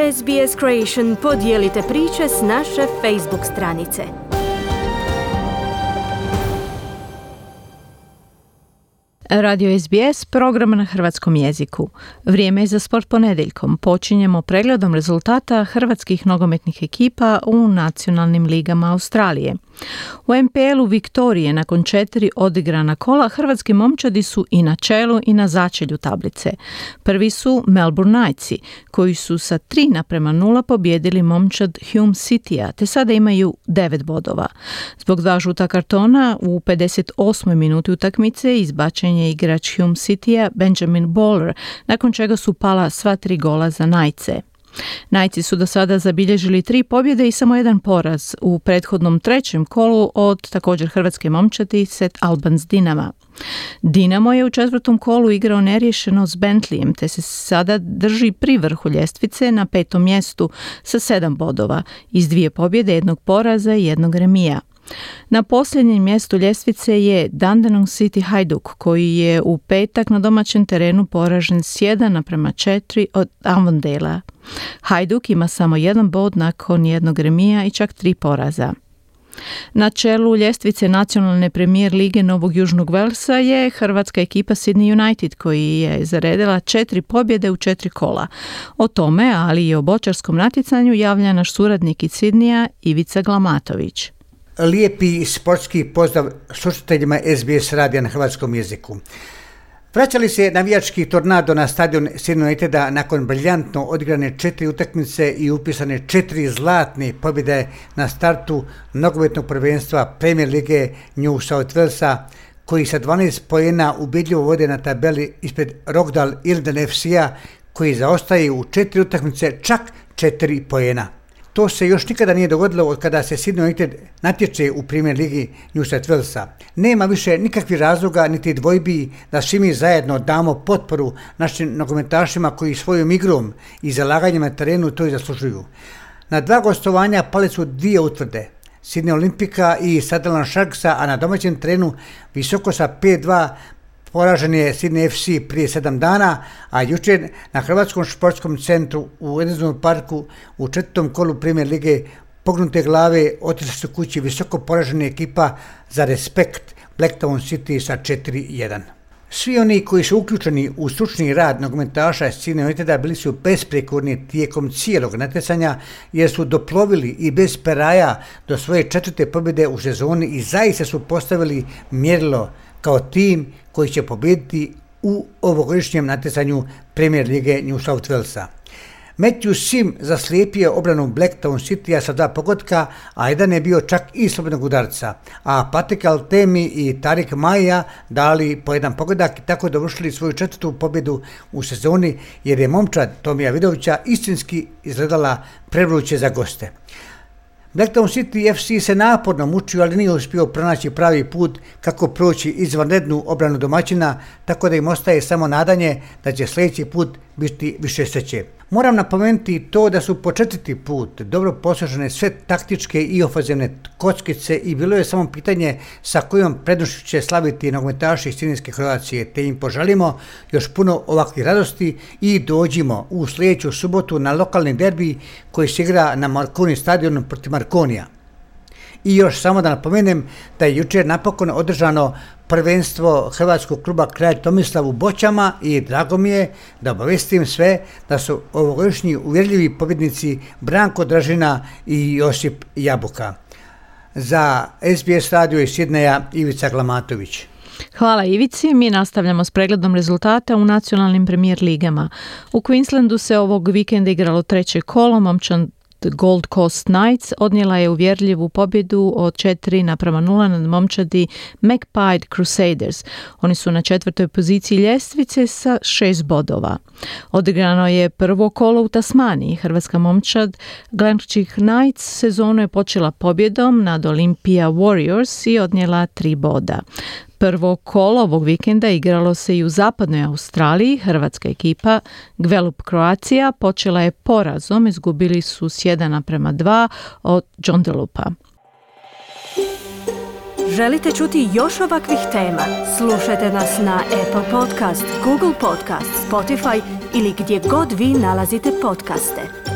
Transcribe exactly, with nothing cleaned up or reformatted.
S B S Creation podijelite priče s naše Facebook stranice. Radio S B S, program na hrvatskom jeziku. Vrijeme je za sport ponedjeljkom. Počinjemo pregledom rezultata hrvatskih nogometnih ekipa u nacionalnim ligama Australije. U N P L-u Viktorije nakon četiri odigrana kola hrvatski momčadi su i na čelu i na začelju tablice. Prvi su Melbourne Knightsi, koji su sa tri naprema nula pobijedili momčad Hume Citya, te sada imaju devet bodova. Zbog dva žuta kartona u pedeset osmoj minuti utakmice izbačen je igrač Hume Citya Benjamin Bowler, nakon čega su pala sva tri gola za Knightse. Knightsi su do sada zabilježili tri pobjede i samo jedan poraz u prethodnom trećem kolu od također hrvatske momčadi St Albans Dinama. Dinamo je u četvrtom kolu igrao neriješeno s Bentleyem, te se sada drži pri vrhu ljestvice na petom mjestu sa sedam bodova, iz dvije pobjede, jednog poraza i jednog remija. Na posljednjem mjestu ljestvice je Dandenong City Hajduk, koji je u petak na domaćem terenu poražen s jedan naprema četiri od Avondale-a. Hajduk ima samo jedan bod nakon jednog remija i čak tri poraza. Na čelu ljestvice nacionalne premijer lige Novog Južnog Velsa je hrvatska ekipa Sydney United, koji je zaredila četiri pobjede u četiri kola. O tome, ali i o bočarskom natjecanju, javlja naš suradnik iz Sydneya Ivica Glamatović. Lijepi sportski pozdrav slušateljima S B S radija na hrvatskom jeziku. Vraćali se navijački tornado na stadion Sydney Uniteda nakon briljantno odigrane četiri utakmice i upisane četiri zlatne pobjede na startu nogometnog prvenstva Premier lige New South Walesa, koji sa dvanaest poena ubjedljivo vode na tabeli ispred Rockdale Ilden F C-a, koji zaostaje u četiri utakmice čak četiri poena. To se još nikada nije dogodilo od kada se Sydney United natječe u Premier ligi New South Walesa. Nema više nikakvih razloga niti dvojbi da svi mi zajedno damo potporu našim nogometašima koji svojom igrom i zalaganjem na terenu to i zaslužuju. Na dva gostovanja pale su dvije utvrde, Sydney Olimpika i Sutherland Sharksa, a na domaćem terenu visoko sa pet dva poražen je Sydney F C prije sedam dana, a jučer na Hrvatskom športskom centru u Edensonu parku u četvrtom kolu Premier lige pognute glave otišli su kući visoko poražena ekipa za Respekt Blacktown City sa četiri jedan. Svi oni koji su uključeni u stručni rad nogometaša Sydney Uniteda bili su besprijekorni tijekom cijelog natjecanja, jer su doplovili i bez peraja do svoje četvrte pobjede u sezoni i zaista su postavili mjerilo kao tim koji će pobijediti u ovogodišnjem natjecanju Premier lige New South Walesa. Matthew Sim zaslijepio obranu Blacktown Citya sa dva pogotka, a jedan je bio čak i slobodnog udarca, a Patrick Altemi i Tarik Maja dali po jedan pogodak i tako dovršili svoju četvrtu pobjedu u sezoni, jer je momčad Tomija Vidovića istinski izgledala prevruće za goste. Blacktown City F C se naporno mučio, ali nije uspio pronaći pravi put kako proći izvanrednu obranu domaćina, tako da im ostaje samo nadanje da će sljedeći put biti više sreće. Moram napomenuti to da su po četvrti put dobro posložene sve taktičke i ofenzivne kockice i bilo je samo pitanje sa kojom prednošću će slaviti nogometaši iz Sydneyske Kroacije, te im poželimo još puno ovakvih radosti i dođimo u sljedeću subotu na lokalni derbi koji se igra na Marconi stadionu protiv Marconija. I još samo da napomenem da je jučer napokon održano prvenstvo hrvatskog kluba Kralj Tomislav u boćama i drago mi je da obavestim sve da su ovogodišnji uvjerljivi pobjednici Branko Dražina i Josip Jabuka. Za S B S radio iz Sydneya Ivica Glamatović. Hvala Ivici. Mi nastavljamo s pregledom rezultata u nacionalnim premijer ligama. U Queenslandu se ovog vikenda igralo treće kolo. Momčad Gold Coast Knights odnijela je uvjerljivu pobjedu od četiri naprema nula nad momčadi Magpie Crusaders. Oni su na četvrtoj poziciji ljestvice sa šest bodova. Odigrano je prvo kolo u Tasmaniji. Hrvatska momčad Glencoe Knights sezonu je počela pobjedom nad Olympia Warriors i odnijela tri boda. Prvo kolo ovog vikenda igralo se i u zapadnoj Australiji. Hrvatska ekipa Gvelup Croatia počela je porazom, izgubili su s jedan naprema dva od Joondalupa. Želite čuti još ovakvih tema? Slušajte nas na Apple Podcast, Google Podcast, Spotify ili gdje god vi nalazite podcaste.